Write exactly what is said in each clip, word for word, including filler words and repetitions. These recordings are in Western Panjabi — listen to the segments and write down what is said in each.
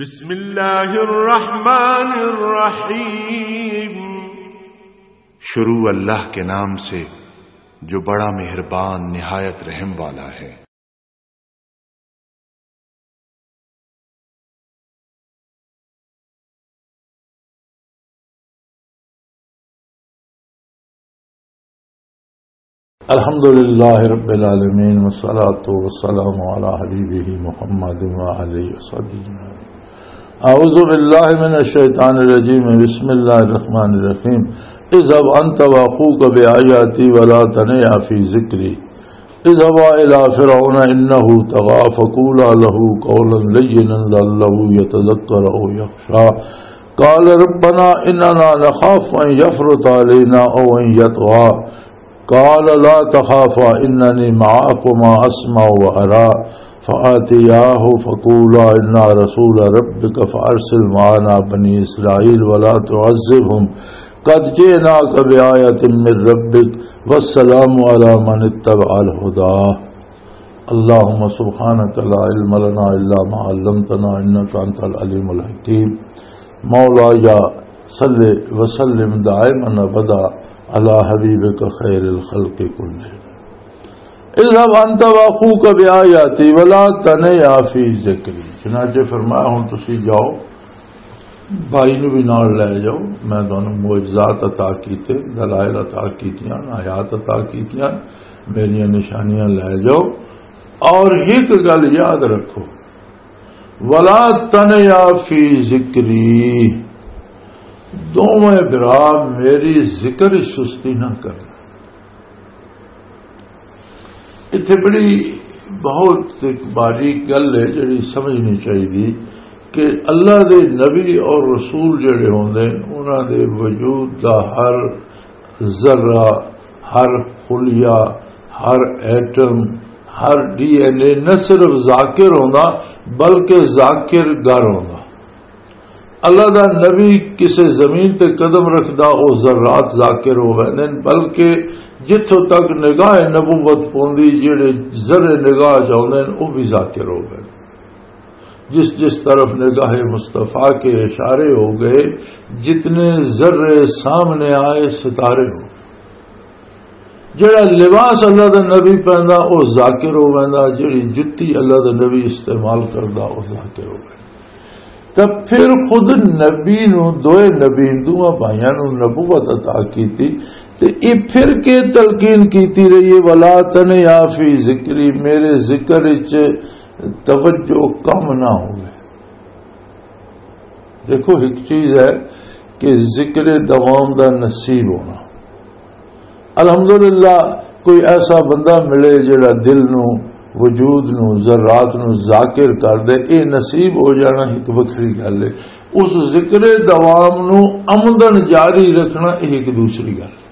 بسم اللہ الرحمن الرحیم۔ شروع اللہ کے نام سے جو بڑا مہربان نہایت رحم والا ہے۔ الحمد لله رب العالمين، والصلاة والسلام على حبيبه محمد وعلى آله وصحبه أجمعين. أعوذ بالله من الشيطان الرجيم. بسم الله الرحمن الرحيم. اذهب أنت وأخوك بآياتي ولا تنيا في ذكري. اذهبا إلى فرعون إنه طغى فقولا له قولا لينا لعله يتذكر أو يخشى. قال ربنا إننا نخاف أن يفرط علينا أو أن يطغى. قال لا تخافا إنني معكما أسمع وأرى. فأتياه فقولا إنا رسول ربك فأرسل معنا بني إسرائيل ولا تعذبهم قد جئناك بآية من ربك والسلام على من اتبع الهدى. اللهم سبحانك لا علم لنا إلا ما علمتنا إنك أنت العليم الحكيم. مولاي صل وسلم دائما أبدا على حبيبك خير الخلق كلهم. اذهب أنت وأخوك بآياتي ولا تنيا في ذكري. چنانچہ فرمایا، ہن تسی جاؤ، بھائی نو بھی نال لے جاؤ، میں تانوں معجزات عطا کیتے، دلائل عطا کیتیاں، آیات عطا کیتیاں، میریاں نشانیاں لے جاؤ۔ اور ایک گل یاد رکھو، ولا تنیا فی ذکری، دوویں برا میری ذکر وچ سستی نہ کرنا۔ اتھے بڑی بہت ایک باریک گل ہے جڑی سمجھنی چاہیے کہ اللہ دے نبی اور رسول جڑے ہوندے ہیں، انہاں دے وجود دا ہر ذرہ، ہر خلیہ، ہر ایٹم، ہر ڈی این اے نہ صرف ذاکر ہوندا بلکہ ذاکر گر ہوندا۔ اللہ دا نبی کسے زمین تے قدم رکھدا، او ذرات ذاکر ہو ویندے نے، بلکہ جتھوں تک نگاہ نبوت پوندی، جڑے ذرے نگاہ چ آوندے نے، او بھی ذاکر ہو ویندے۔ جس جس طرف نگاہ مصطفیٰ کے اشارے ہو گئے، جتنے ذرے سامنے آئے، ستارے ہو گئے۔ جڑا لباس اللہ دا نبی پہندا، او ذاکر ہو ویندا، جڑی جتی اللہ دا نبی استعمال کردا، او ذاکر ہو ویندا۔ تے پھر خود نبی نو، دوئے نبی، دوواں بھائیاں نو نبوت عطا کیتی، تے یہ پھر کے تلقین کیتی رہی ہے، "ولا تنیا فی ذکری"، میرے ذکر وچ توجہ کم نہ ہوئے۔ دیکھو، ایک چیز ہے کہ ذکر دوام دا نصیب ہونا۔ الحمدللہ، کوئی ایسا بندہ ملے جڑا دل نو، وجود نو، ذرات نو ذاکر کر دے، اے نصیب ہو جانا ایک وکھری گل ہے۔ اس ذکر دوام نو آمدن جاری رکھنا، اے ایک دوسری گل ہے۔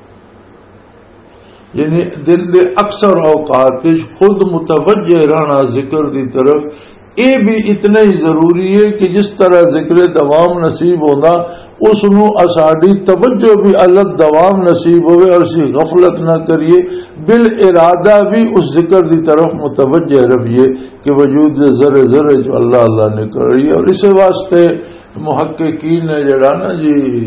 یعنی دن دے اکثر اوقات وچ خود متوجہ رہنا ذکر دی طرف، اے بھی اتنا ہی ضروری ہے کہ جس طرح ذکر دوام نصیب ہوندا، اس نو اساڈی توجہ بھی الگ دوام نصیب ہوئے اور اسی غفلت نہ کریے، بالارادہ بھی اس ذکر دی طرف متوجہ رہیے کہ وجود دے ذرے ذرے جو اللہ اللہ نکل رہی ہے۔ اور اسے واسطے محققین نے جڑا نا جی،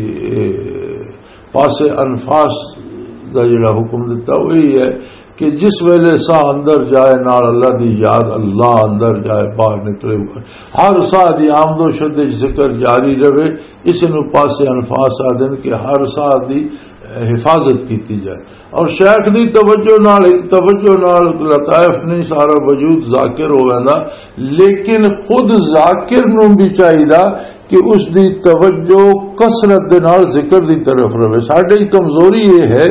پاس انفاس دا جڑا حکم دتا، وہی ہے کہ جس ویلے ساہ اندر جائے، نال اللہ دی یاد، اللہ اندر جائے، باہر نکلے، ہر ساہ دی آمد و شد وچ ذکر جاری رہے، اس نو پاس انفاس آدن کہ ہر ساہ دی حفاظت کیتی جائے۔ اور شیخ دی توجہ نال، ایک توجہ نال لطائف نہیں، سارا وجود ذاکر ہو ویندا، لیکن خود ذاکر نو بھی چاہیدا کہ اس دی توجہ کثرت دے نال ذکر دی طرف رہے۔ ساڈی کمزوری یہ ہے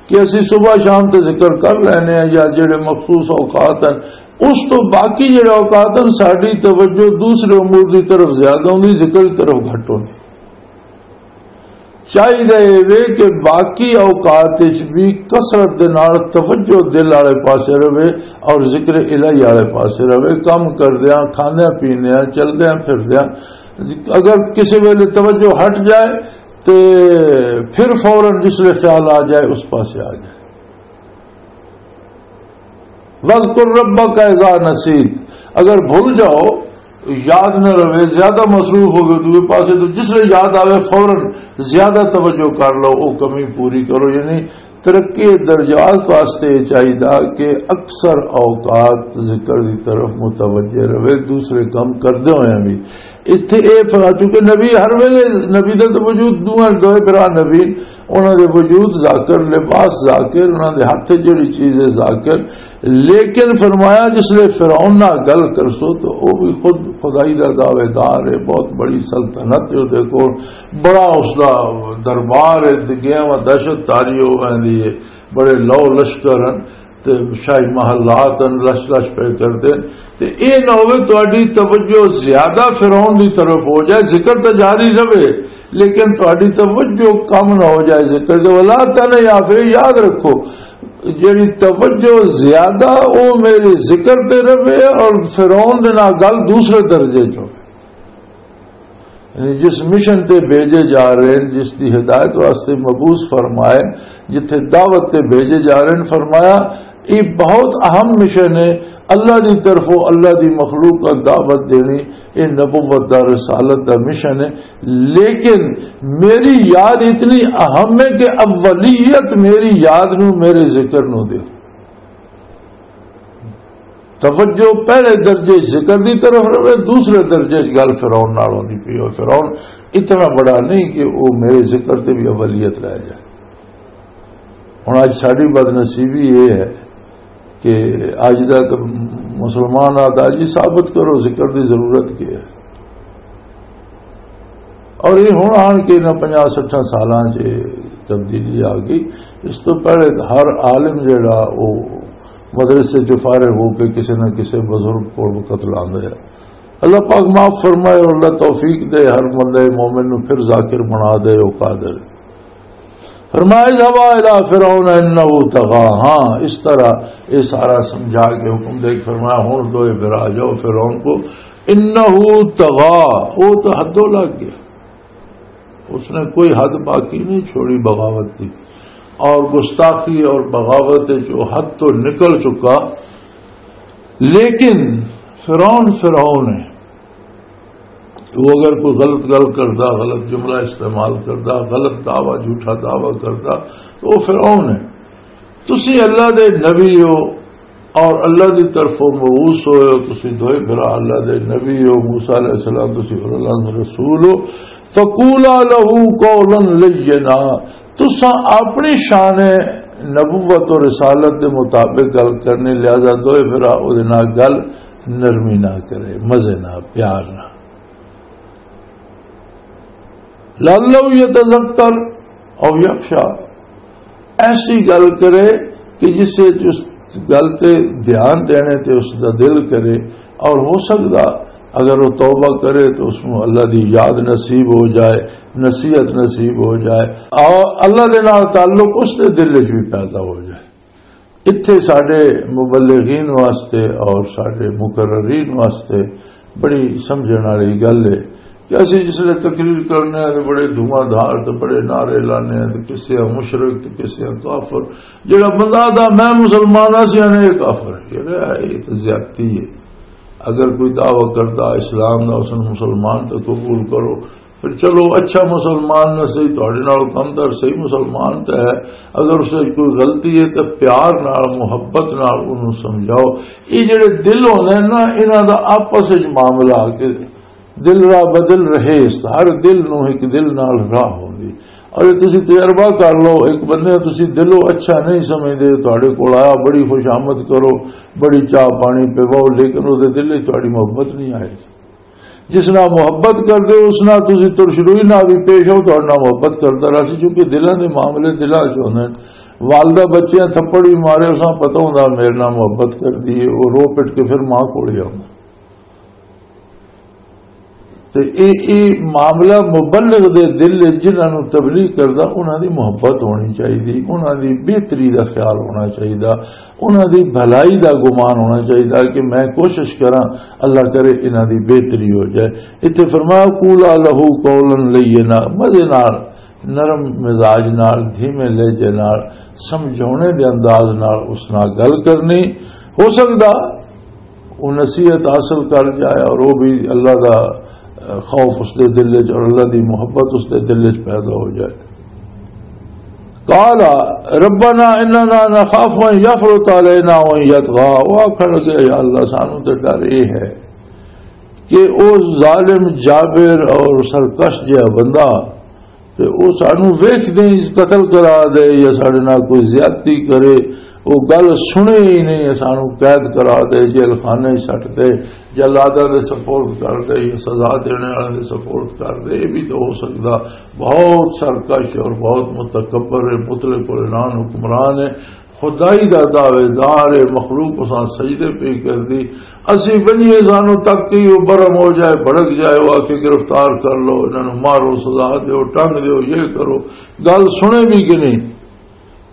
کہ اسی صبح شام تے ذکر کر لینے ہیں یا جڑے مخصوص اوقات ہیں، اس تو باقی جڑے اوقات ہیں ساڈی توجہ دوسرے امور دی طرف زیادہ ہوندی، ذکر دی طرف گھٹ ہوندی۔ چاہیدا اے وے کہ باقی اوقات وچ بھی کثرت دے نال توجہ دل والے پاسے رہے اور ذکر الہی والے پاسے رہے، کم کردیاں، کھاندیاں پیندیاں، چلدیاں پھردیاں۔ اگر کسی ویلے توجہ ہٹ جائے تے پھر فوراً جس ویلے خیال آ جائے، اس پاسے آ جائے۔ "وَاذْكُر رَّبَّكَ إِذَا نَسِيتَ"، اگر بھول جاؤ یاد نہ رہے، زیادہ مصروف ہو گئے دوسرے پاسے، تو جس ویلے یاد آوے فوراً زیادہ توجہ کر لو، وہ کمی پوری کرو۔ یعنی ترقی درجات واسطے یہ چاہیے کہ اکثر اوقات ذکر کی طرف متوجہ رہے، دوسرے کام کرتے ہوئے بھی۔ اتھے اے فرما، چونکہ نبی ہر ویلے، نبی دا تو وجود دوواں دوئے بھرا نبی، انہاں دے وجود ذاکر، لباس ذاکر، انہاں دے ہاتھ جڑی چیز ہے ذاکر۔ لیکن فرمایا، جس لے فرعون نال گل کرسو تو او بھی خود خدائی دا دعوے دار ہے، بہت بڑی سلطنت ہے، او دیکھو بڑا اس دا دربار ہے، دگیاں و دہشت تاری ہو ویندی ہے، بڑے لو لشکر ہیں، تے شاہی محلات ہیں، لش لش پہ کردے۔ تے اے نہ ہوئے تہاڈی توجہ زیادہ فرعون دی طرف ہو جائے، ذکر تے جاری رہے، لیکن تہاڈی توجہ کم نہ ہو جائے ذکر دے۔ ولا تن یا پھر یاد رکھو، جڑی توجہ زیادہ او میرے ذکر تے رہے اور فرعون دے نال گل دوسرے درجے چ ہوئے۔ یعنی جس مشن تے بھیجے جا رہے ہیں، جس دی ہدایت واسطے مبعوث فرمائے، جتھے دعوت تے بھیجے جا رہے ہیں، فرمایا یہ بہت اہم مشن ہے۔ اللہ دی طرفوں اللہ دی مخلوق کا دعوت دینی، یہ نبوت دا، رسالت دا مشن ہے۔ لیکن میری یاد اتنی اہم ہے کہ اولیت میری یاد نو، میرے ذکر نو دے۔ توجہ پہلے درجے ذکر دی طرف رہے، دوسرے درجے گل فرعون نال ہوندی پئی ہو۔ فرعون اتنا بڑا نہیں کہ وہ میرے ذکر تے بھی اولیت رہ جائے۔ ہن اج ساڈی بدنصیبی یہ ہے کہ اج دا تے مسلمان آتا جی ثابت کرو ذکر دی ضرورت کی ہے۔ اور یہ ہن آن کے انہاں پنجاہ سٹھاں سالاں چ تبدیلی آ گئی۔ اس تو پہلے ہر عالم جڑا وہ مدرسے چ فارغ ہو کے کسی نہ کسی بزرگ کول وقت لاندا ہے۔ اللہ پاک معاف فرمائے اور اللہ توفیق دے ہر بندے مومن نو پھر ذاکر بنا دے، او قادر۔ فرمایا، "اذهبا إلى فرعون إنه طغى۔" ہاں، اس طرح یہ سارا سمجھا کے حکم دے کے فرمایا، "ہن دوئے بھرا جاؤ فرعون کو، إنه طغى، وہ تو حدوں لگ گیا، اس نے کوئی حد باقی نہیں چھوڑی بغاوت کی، اور گستاخی اور بغاوت ہے جو حد تو نکل چکا۔" لیکن فرعون فرعون ہے، تو اگر کوئی غلط گل کردا، غلط جملہ استعمال کردا، غلط دعویٰ، جھوٹا دعویٰ کردا، تو وہ فرعون ہے۔ تسی اللہ دے نبی ہو اور اللہ دی طرفوں مبعوث ہوئے ہو، تسی دوئے بھرا اللہ دے نبی ہو، موسیٰ علیہ السلام تسی اور اللہ دے رسول ہو۔ فقولا له قولا لینا، تساں اپنی شان نبوت اور رسالت دے مطابق گل کرنی، لہذا دوئے بھرا او دے نال گل نرمی نہ کرے، مزے نہ، پیار نہ۔ لعلہ یتذکر او یخشی، ایسی گل کرے کہ جس وچ اس گل تے دھیان دینے تے اس دا دل کرے، اور ہو سکدا اگر وہ توبہ کرے تو اس کو اللہ دی یاد نصیب ہو جائے، نصیحت نصیب ہو جائے، اور اللہ دے نال تعلق اس دے دل وچ بھی پیدا ہو جائے۔ اتھے ساڈے مبلغین واسطے اور ساڈے مقررین واسطے بڑی سمجھن والی گل ہے کہ اسی جس ویلے تقریر کرنے ہیں تو بڑے دھواں دھار تے بڑے نعرے لانے ہیں، تو کسے آ مشرک، تو کسے آ کافر۔ جڑا بندہ آدھا میں مسلمان ہاں، سی آنے یہ کافر، یہ تو زیادتی ہے۔ اگر کوئی دعویٰ کرتا اسلام دا، اس نے مسلمان تو قبول کرو، پھر چلو اچھا مسلمان نہ صحیح، تہاڈے نال کمتر صحیح مسلمان تے ہے، اگر اس وچ کوئی غلطی ہے تے پیار نال، محبت نال انہوں سمجھاؤ۔ یہ جڑے دل ہوندے ہیں نا، انہاں دا آپس وچ معاملہ آ کے دل راہ بدل رہے، ہر دل نو ایک دل نال راہ ہوندی۔ اور یہ تسی تجربہ کر لو، ایک بندے نوں تسی دلوں اچھا نہیں سمجھدے، تہاڈے کول آیا، بڑی خوش آمد کرو، بڑی چاہ پانی پیواؤ، لیکن اس دے دل وچ تہاڈی محبت نہیں آئی۔ جس نال محبت کردے ہو، اس نال تسی ترش روئی نال بھی پیش آؤ، تہاڈے نال محبت کردا رہسی، کیونکہ دلاں دے معاملے دلاں چ ہوندے نے۔ والدہ بچیاں تھپڑ بھی مارے، اساں پتہ ہوندا میرے نال محبت کردی ہے، وہ رو پٹ کے پھر ماں کول ہی آوندا۔ تے اے، اے معاملہ مبلغ دے دل وچ، جنہاں نوں تبلیغ کردا، انہاں دی محبت ہونی چاہیدی، انہاں دی بہتری دا خیال ہونا چاہیدا، انہاں دی بھلائی دا گمان ہونا چاہیدا کہ میں کوشش کراں، اللہ کرے انہاں دی بہتری ہو جائے۔ اتھے فرمایا، "قولا لہ قولا لینا"، مزے نال، نرم مزاج نال، دھیمے لہجے نال، سمجھاونے دے انداز نال اس نال گل کرنی۔ ہو سکدا وہ نصیحت حاصل کر جائے اور وہ بھی اللہ دا، اہ، خوف اس دے دل وچ اور اللہ دی محبت اس دے دل وچ پیدا ہو جائے۔ قال ربنا اننا نخاف ان يفرط علينا او ان يطغى، وہ آکھن لگے، یا اللہ، سانو تے ڈر یہ ہے کہ وہ ظالم جابر اور سرکش جہا بندہ، تے وہ سانو ویکھ دے قتل کرا دے یا ساڈے نال کوئی زیادتی کرے، وہ گل سنے ہی نہیں، سانو قید کرا دے، جیل خانے سٹ دے، جلاداں دے سپرد کر دے یا سزا دینے والے دے سپرد کر دے، یہ بھی تو ہو سکدا۔ بہت سرکش اور بہت متکبر، مطلق العنان حکمران ہے، خدائی دا دعوے دار ہے، مخلوق اساں سجدے پہ کر دی، اسی ونجیے سانو تک کہ وہ برم ہو جائے، بھڑک جائے، وہ آ کے گرفتار کر لو، انہاں نوں مارو، سزا دیو، ٹنگ دیو، یہ کرو، گل سنے بھی کہ نہیں؟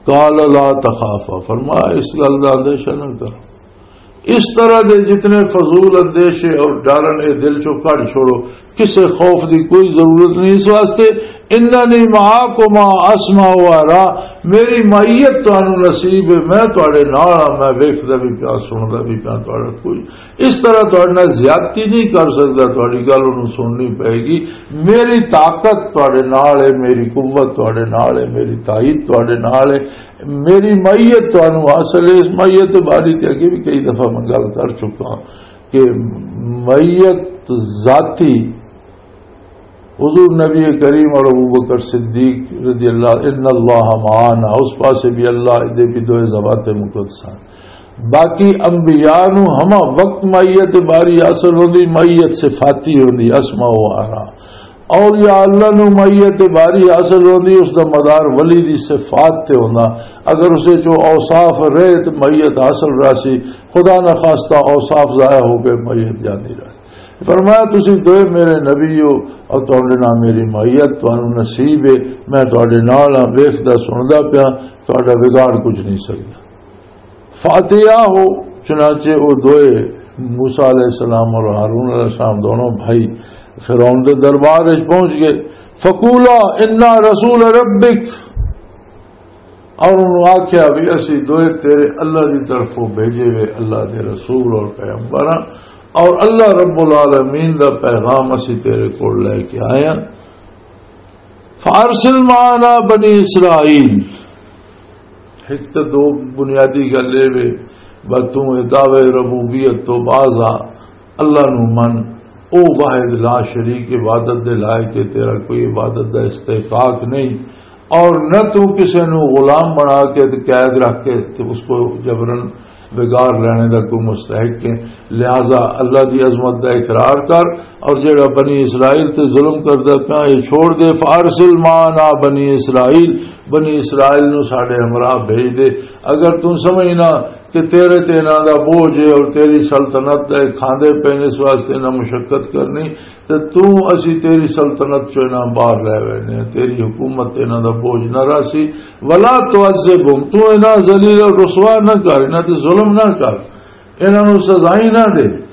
قال لا تخافا، فرمایا اس گل دا اندیشہ نہ کرو۔ اس طرح دے جتنے فضول اندیشے اور ڈر نے دل چوں کڈ چھوڑو، کسے خوف دی کوئی ضرورت نہیں اس واسطے۔ اننی معاکما اسمع و ارا، میری معیت تانوں نصیب ہے، میں تواڈے نال ہاں، میں ویکھدا بھی پیا، سندا بھی پیا، تواڈا کوئی اس طرح تواڈے نال زیادتی نہیں کر سکدا، تواڈی گل انہوں سننی پئے گی۔ میری طاقت تواڈے نال ہے، میری قوت تواڈے نال ہے، میری تائید تواڈے نال ہے، میری معیت تانوں حاصل ہے۔ اس معیت باری تے اگے بھی کئی دفعہ میں گل کر چکا ہاں کہ معیت ذاتی حضور نبی کریم اور ابو بکر صدیق رضی اللہ، ان اللہ معنا، اس پاسے بھی اللہ دے بھی دوئے ذوات مقدس ہیں۔ باقی انبیاء نو ہما وقت معیت باری حاصل ہوندی، معیت صفاتی ہوندی، اسمع و ارا۔ اولیاء اللہ نو معیت باری حاصل ہوندی، اس دا مدار ولی دی صفات تے ہوندا۔ اگر اسے چو اوصاف رہے تو معیت حاصل رہسی، خدا نہ خواستہ اوصاف ضائع ہو کے معیت جاندی رہسی۔ فرمایا، "تسی دوئے میرے نبی ہو اور تہاڈے نال میری معیت تانوں نصیب ہے، میں تہاڈے نال ہاں، ویکھدا سندا پیا، تہاڈا بگاڑ کچھ نہیں سکدا۔" فاتحہ ہو، چنانچہ وہ دوئے، موسیٰ علیہ السلام اور ہارون علیہ السلام، دونوں بھائی فرعون دے دربار وچ پہنچ گئے۔ فقولا انا رسول ربک، اور انہوں آکھیا بھی، "اسی دوئے تیرے اللہ دی طرفوں بھیجے ہوئے اللہ دے رسول اور پیغمبر ہاں، اور اللہ رب العالمین دا پیغام اسی تیرے کول لے کے آئے ہاں۔ فارسل معنا بنی اسرائیل۔" ایک تو دو بنیادی گل اے وے، بس توں اے دعوے ربوبیت تو باز آ، اللہ نو من، او واحد لا شریک عبادت دے لائق ہے، تیرا کوئی عبادت دا استحقاق نہیں، اور نہ تو کسے نو غلام بنا کے تے قید رکھ کے تے اس کو جبرن بگاڑ لینے دا کوئی مستحق ہے۔ لہذا اللہ دی عظمت دا اقرار کر، اور جڑا بنی اسرائیل تے ظلم کردا پیا، یہ چھوڑ دے۔ فارسل معنا بنی اسرائیل، بنی اسرائیل نو ساڈے ہمراہ بھیج دے۔ اگر توں سمجھنا کہ تیرے تے انہاں دا بوجھ ہے اور تیری سلطنت دے کھاندے پے نے، اس واسطے انہاں مشقت کرنی، تے توں، اسی تیری سلطنت چوں انہاں باہر لے وینے ہیں، تیری حکومت تے انہاں دا بوجھ نہ رہسی۔ ولا تعذبهم، توں انہاں ذلیل اور رسوا نہ کر، انہاں تے ظلم نہ کر، انہاں نوں سزائیں نہ دے،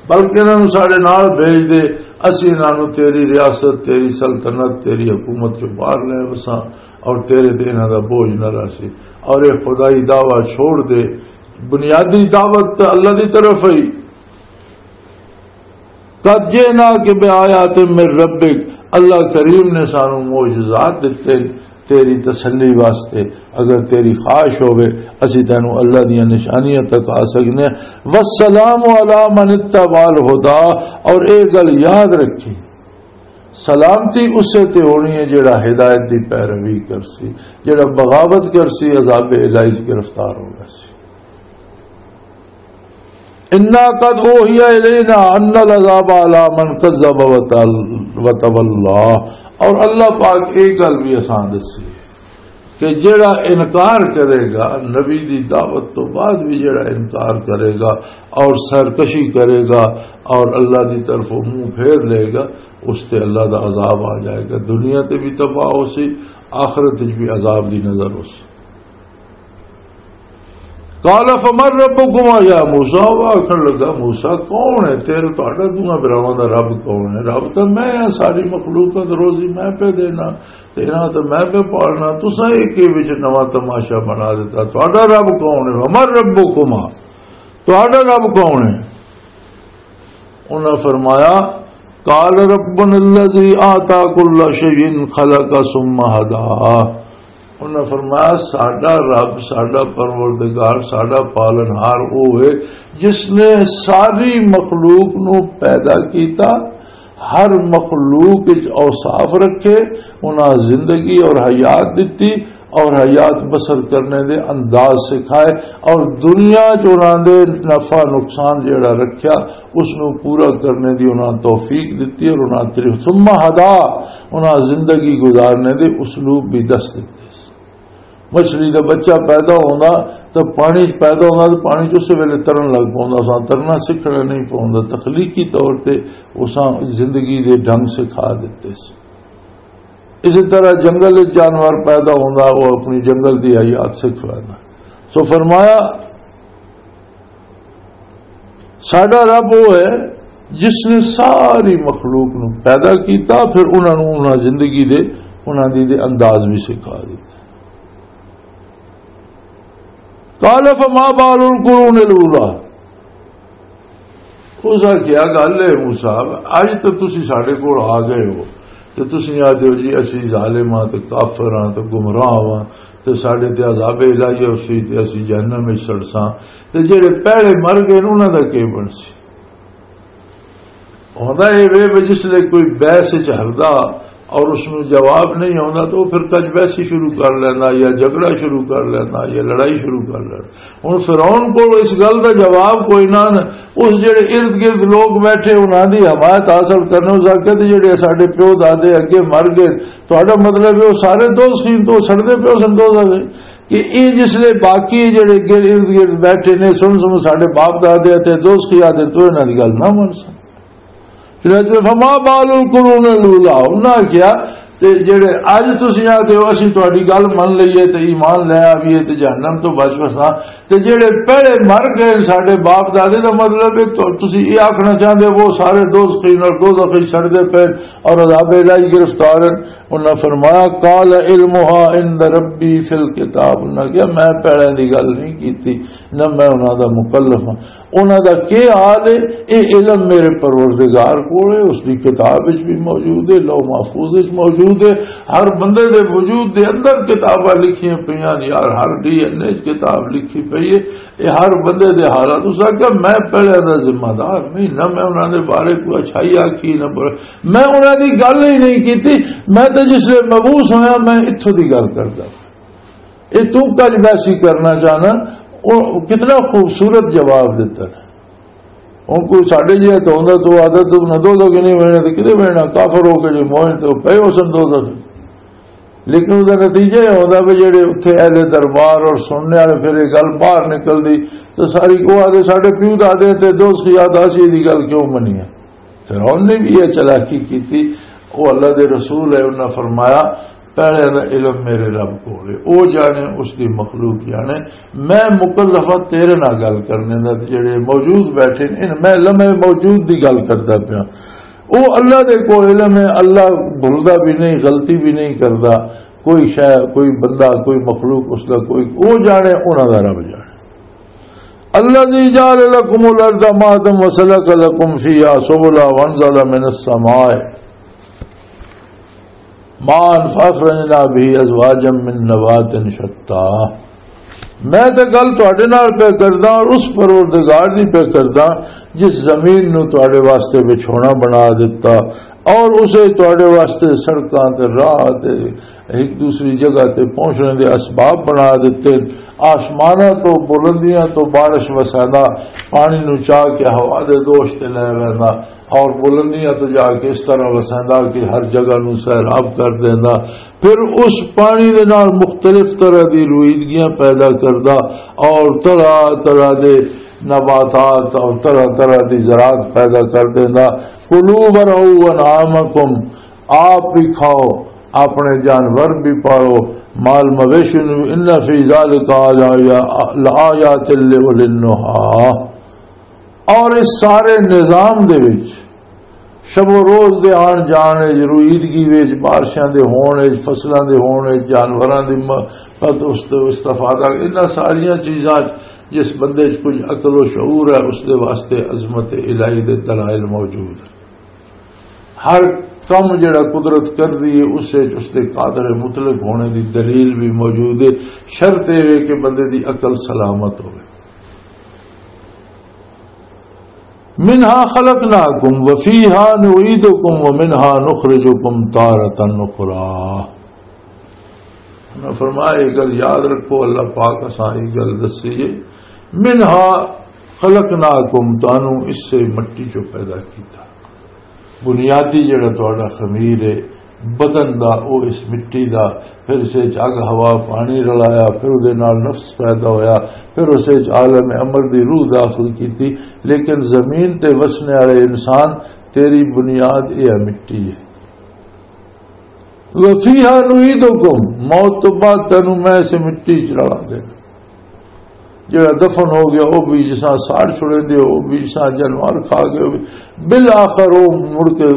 بلکہ انہاں نوں ساڈے نال بھیج دے، اسی انہاں نوں تیری ریاست، تیری سلطنت، تیری حکومت چوں باہر لے وساں، اور تیرے تے انہاں دا بوجھ نہ رہسی۔ اور اے خدائی دعویٰ چھوڑ دے، بنیادی دعوت تے اللہ دی طرف ہی۔ قد جئناک بآیات من ربک، اللہ کریم نے سانو معجزات دتے تیری تسلی واسطے۔ اگر تیری خواہش ہوے، اسی تینوں اللہ دیاں نشانیاں تک آ سکنے ہیں۔ والسلام علی من اتبع الہدی، اور اے گل یاد رکھی، سلامتی اسے تے ہونی ہے جڑا ہدایت دی پیروی کرسی، جڑا بغاوت کرسی، عذاب الہی گرفتار ہو جاسی۔ انا قد اوحی الینا ان العذاب علی من کذب وتل-، وتولا۔ اور اللہ پاک ایک گل بھی اساں دسی کہ جڑا انکار کرے گا، نبی دی دعوت تو بعد بھی جڑا انکار کرے گا اور سرکشی کرے گا اور اللہ دی طرف منہ پھیر لے گا، اس تے اللہ دا عذاب آ جائے گا۔ دنیا تے بھی تباہ ہو سی، آخرت وچ بھی عذاب دی نظر ہو سی۔ قال فمن ربکما یا موسیٰ، وہ آکھن لگا، "موسیٰ، کون ہے تیرے، تہاڈا دوواں بھراواں دا رب کون ہے؟" "رب تاں میں ہاں، ساری مخلوق دا روزی میں پہ دینا، تے انہاں تے میں پہ پالنا، تساں ایک کے وچ نواں تماشا بنا دیتا، تہاڈا رب کون ہے؟" "ومن ربکما، تہاڈا رب کون ہے؟" انہاں فرمایا، "قال ربنا الذي اعطى كل شيء خلقه ثم هدى۔" انہاں فرمایا، "ساڈا رب، ساڈا پروردگار، ساڈا پالنہار او ہے جس نے ساری مخلوق نو پیدا کیتا، ہر مخلوق وچ اوصاف رکھے، انہاں زندگی اور حیات دتی، اور حیات بسر کرنے دے انداز سکھائے، اور دنیا چ انہاں دے نفع نقصان جیڑا رکھیا، اس نو پورا کرنے دی انہاں توفیق دتی، اور انہاں طریق ثم ہدا، انہاں زندگی گزارنے دے اسلوب بھی دس دتے۔ مچھلی دا بچہ پیدا ہوندا تے پانی چ پیدا ہوندا تے پانی چ اسی ویلے ترن لگ پوندا سا، ترنا سکھنا نہیں پوندا، تخلیقی طور تے اساں زندگی دے ڈھنگ سکھا دتے سی۔ اسی طرح جنگل وچ جانور پیدا ہوندا، وہ اپنی جنگل دی حیات سکھ لیندا۔ سو فرمایا، ساڈا رب وہ ہے جس نے ساری مخلوق نو پیدا کیتا، پھر انہاں نو انہاں زندگی دے، انہاں دی دے انداز بھی سکھا دتا۔ قال فما بال القرون الاولى۔ اس آخیا، "گل ہے موسیٰ، اج تو تسی ساڈے کول آ گئے ہو، تے تسی آدھے ہو جی اسی ظالم ہاں تے کافر ہاں تے گمراہ ہاں، تے ساڈے تے عذاب الہی ہو سی تے اسی جہنم وچ سڑساں، تے جڑے پہلے مر گئے نے انہاں دا کی بنسی؟" ہوندا اے وے، وے جس لے کوئی بحث وچ ہردا اور اس نوں جواب نہیں آوندا، تو وہ پھر کج بحثی شروع کر لیندا یا جھگڑا شروع کر لیندا یا لڑائی شروع کر لیندا۔ ہن فرعون کول اس گل دا جواب کوئی نہ، اس جڑے ارد گرد لوگ بیٹھے انہاں دی حمایت حاصل کرنے، اس آکھیا تے جڑے ساڈے پیو دادے اگے مر گئے، تہاڈا مطلب ہے وہ سارے دوزخی تو سڑدے پیو سن دوزخ وچ؟ کہ اے جس لے باقی جڑے گر-، ارد گرد بیٹھے نے، سن سن ساڈے باپ دادے تے دوزخی آدے، تو انہاں دی گل نہ من سن۔ چنانچہ فما بال القرون الاولیٰ، انہاں آکھیا، تے جڑے اج تسی آکھدے ہو اسی تہاڈی گل من لئیے تے ایمان لے آئیے تے جہنم تو بچ وساں، تے جڑے پہلے مر گئے ساڈے باپ دادے، دا مطلب ہے تو تسی یہ آکھنا چاہندے ہو وہ سارے دوزخی نال دوزخ وچ سڑدے پے اور عذاب الہی گرفتار ہیں؟ انہاں فرمایا، "قال علمها عند ربي في الكتاب۔" انہاں کہا، "میں پہلے دی گل نہیں کیتی، نہ میں انہاں دا مکلف ہاں۔" انہاں دا کی حال ہے؟ اے علم میرے پروردگار کول ہے، اس دی کتاب وچ بھی موجود ہے، لوح محفوظ وچ موجود ہے۔ ہر بندے دے وجود دے اندر کتاباں لکھیاں پئیاں نے یار، ہر ڈی این اے وچ کتاب لکھی پئی ہے۔ اے ہر بندے دے حالات۔ اس آکھیا، "میں پہلے دا ذمہ دار نہیں، نہ میں انہاں دے بارے کوئی اچھائی آکھی، نہ بر-، میں انہاں دی گل ہی نہیں کیتی۔ میں تے جس لے مبعوث ہویا، میں اتھوں دی گل کردا۔" اے تو کج ویسی کرنا چاہنا، او کتنا خوبصورت جواب دیتا ہے۔ ہن کوئی ساڈے جہا تو ہوندا تو آدھا تو نہ دو دو کہ نہیں بننا تو کدے بننا، کافر ہو کے جو مومن تو پے ہو سن دو دو۔ لیکن اس دا نتیجہ یہ ہوندا بھی جڑے اتھے اہل دربار اور سننے والے پھر یہ گل باہر نکل دی تو ساری کو آدھے ساڈے پیو دادے تے دوست یاد آسی دی گل کیوں منی ہے؟ فرعون نے بھی یہ چالاکی کی تھی۔ وہ اللہ دے رسول ہے، انہاں فرمایا، "پہلے دا علم میرے رب کول ہے، او جانے، اس دی مخلوق جانے، میں مکلف ہاں تیرے نال گل کرنے دا، تے جڑے موجود بیٹھے نے، ان میں لمحے موجود دی گل کردا پیا۔" او اللہ دے کول علم ہے، اللہ بھولدا بھی نہیں، غلطی بھی نہیں کردا، کوئی شے، کوئی بندہ، کوئی مخلوق اس دا کوئی، او جانے، انہاں دا رب جانے۔ الذي جعل لكم الأرض مهدا وسلك لكم فيها سبلا وأنزل من السماء ماء فأخرجنا به أزواجا من نبات شتى۔ میں تے گل تہاڈے نال پہ کردا اور اس پروردگار دی پہ کردا جس زمین نو تہاڈے واسطے بچھونا بنا دتا اور اسے تہاڈے واسطے سڑکاں تے راہ تے ایک دوسری جگہ تے پہنچنے دے اسباب بنا دتے۔ آسماناں تو بلندیاں تو بارش وسیندا، پانی نو چا کے ہوا دے دوش تے لے ویندا اور بلندیاں تو جا کے اس طرح وسیندا کہ ہر جگہ نو سیراب کر دیندا۔ پھر اس پانی دے نال مختلف طرح دی رویدگیاں پیدا کردا اور طرح طرح دے نباتات اور طرح طرح دی زراعت پیدا کر دیندا۔ کلوا وارعوا انعامکم، آپ بھی کھاؤ، اپنے جانور بھی پالو، مال مویشی نو، ان فی ذالک لآیات لأولی النہی۔ اور اس سارے نظام دے وچ شب و روز دے آن جان وچ، رویدگی وچ، بارشاں دے ہون وچ، فصلاں دے ہون وچ، جانوراں دی م-، پت-، است-، استفادہ، انہاں ساریاں چیزاں جس بندے چ کچھ عقل و شعور ہے، اس دے واسطے عظمت الہی دے دلائل موجود ہیں۔ ہر کم جڑا قدرت کر دی ہے، اس وچ اس دے قادر مطلق ہونے دی دلیل بھی موجود ہے۔ شرط یہ ہے کہ بندے دی عقل سلامت ہوئے۔ منہا خلقناکم وفیہا نعیدکم ومنہا نخرجکم تارۃ اخری۔ انہاں فرمایا، یہ گل یاد رکھو، اللہ پاک اساں یہ گل دسی ہے، منہا خلقناکم، تانوں اس سے مٹی چوں پیدا کیتا۔ بنیادی جڑا تہاڈا خمیر ہے بدن دا، او اس مٹی دا، پھر اسے چ اگ، ہوا، پانی رلایا، پھر اودے نال نفس پیدا ہویا، پھر اسے چ عالم امر دی روح داخل کیتی۔ لیکن زمین تے وسنے والے انسان، تیری بنیاد یہ ہے، مٹی ہے۔ وفیہا نعیدکم، موت تو بعد تینوں میں اسے مٹی چ رلا دینا۔ جڑا دفن ہو گیا، وہ بھی جساں ساڑ چھڑے دے، وہ بھی جساں جانور کھا گئے، وہ بھی بالآخر وہ مڑ کے،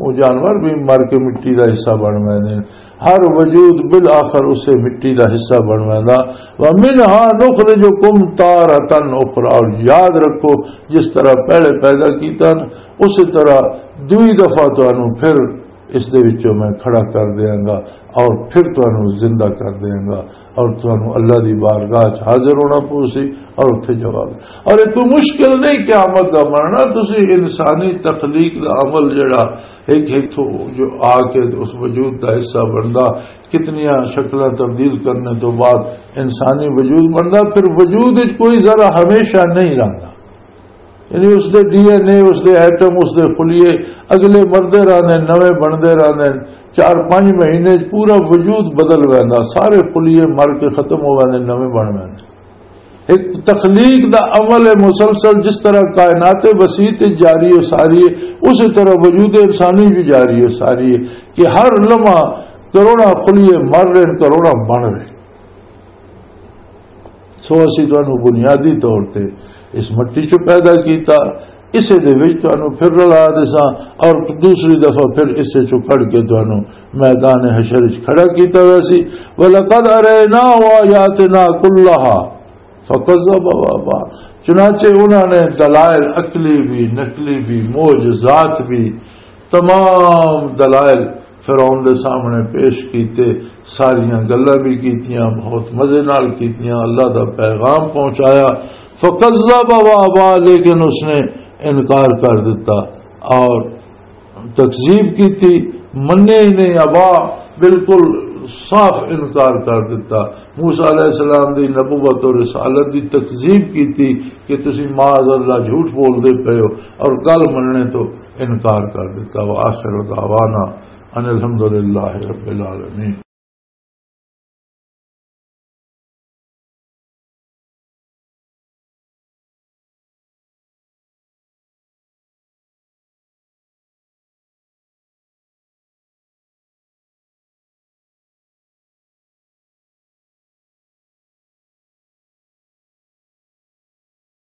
وہ جانور بھی مر کے مٹی دا حصہ بن ویندے نے۔ ہر وجود بالآخر اسے مٹی دا حصہ بن ویندا۔ ومنہا نخرجکم تارۃ اخری، اور یاد رکھو، جس طرح پہلے پیدا کیتا نا، اسی طرح دوئی دفعہ تانوں پھر اس دے وچوں میں کھڑا کر دیاں گا اور پھر تانوں زندہ کر دیاں گا اور تانوں اللہ دی بارگاہ چ حاضر ہونا پوسی اور اتھے جواب۔ اور یہ کوئی مشکل نہیں قیامت دا مرنا، تسی انسانی تخلیق دا عمل جڑا ایک ایک تھو جو آ کے اس وجود دا حصہ بندا، کتنیاں شکلاں تبدیل کرنے تو بعد انسانی وجود بندا، پھر وجود وچ کوئی ذرا ہمیشہ نہیں رہندا۔ یعنی اس دے ڈی این اے، اس دے ایٹم، اس دے خلیے اگلے مردے رہندے، نویں بندے رہندے۔ چار پنج مہینے چ پورا وجود بدل ویندا، سارے خلیے مر کے ختم ہو ویندے، نویں بن ویندے۔ ایک تخلیق دا عمل ہے مسلسل، جس طرح کائنات وسیع تے جاری و ساری ہے، اسی طرح وجود انسانی بھی جاری و ساری ہے کہ ہر لمحہ کروڑاں خلیے مر رہے ہیں، کروڑاں بن رہے ہیں۔ سو اسی تانوں بنیادی طور تے اس مٹی چوں پیدا کیتا، اسے دے وچ تانوں پھر رلا دیساں، اور دوسری دفعہ پھر اسے چوں کڈ کے تانوں میدان حشر وچ کھڑا کیتا ویسی۔ وَلَقَدْ أَرَيْنَاهُ آيَاتِنَا كُلَّهَا فَكَذَّبَ وَأَبَى۔ چنانچہ انہاں نے دلائل عقلی بھی، نقلی بھی، معجزات بھی، تمام دلائل فرعون دے سامنے پیش کیتے، ساریاں گلاں بھی کیتیاں، بہت مزے نال کیتیاں، اللہ دا پیغام پہنچایا۔ فَكَذَّبَ وَأَبَى، لیکن اس نے انکار کر دیتا اور تکذیب کیتی، منے ہی نہیں، ابا، بالکل صاف انکار کر دیتا۔ موسیٰ علیہ السلام دی نبوت اور رسالت دی تکذیب کیتی کہ تسی معاذ اللہ جھوٹ بول دے پئے ہو، اور گل مننے تو انکار کر دیتا۔ وآخر دعوانا ان الحمدللہ رب العالمین۔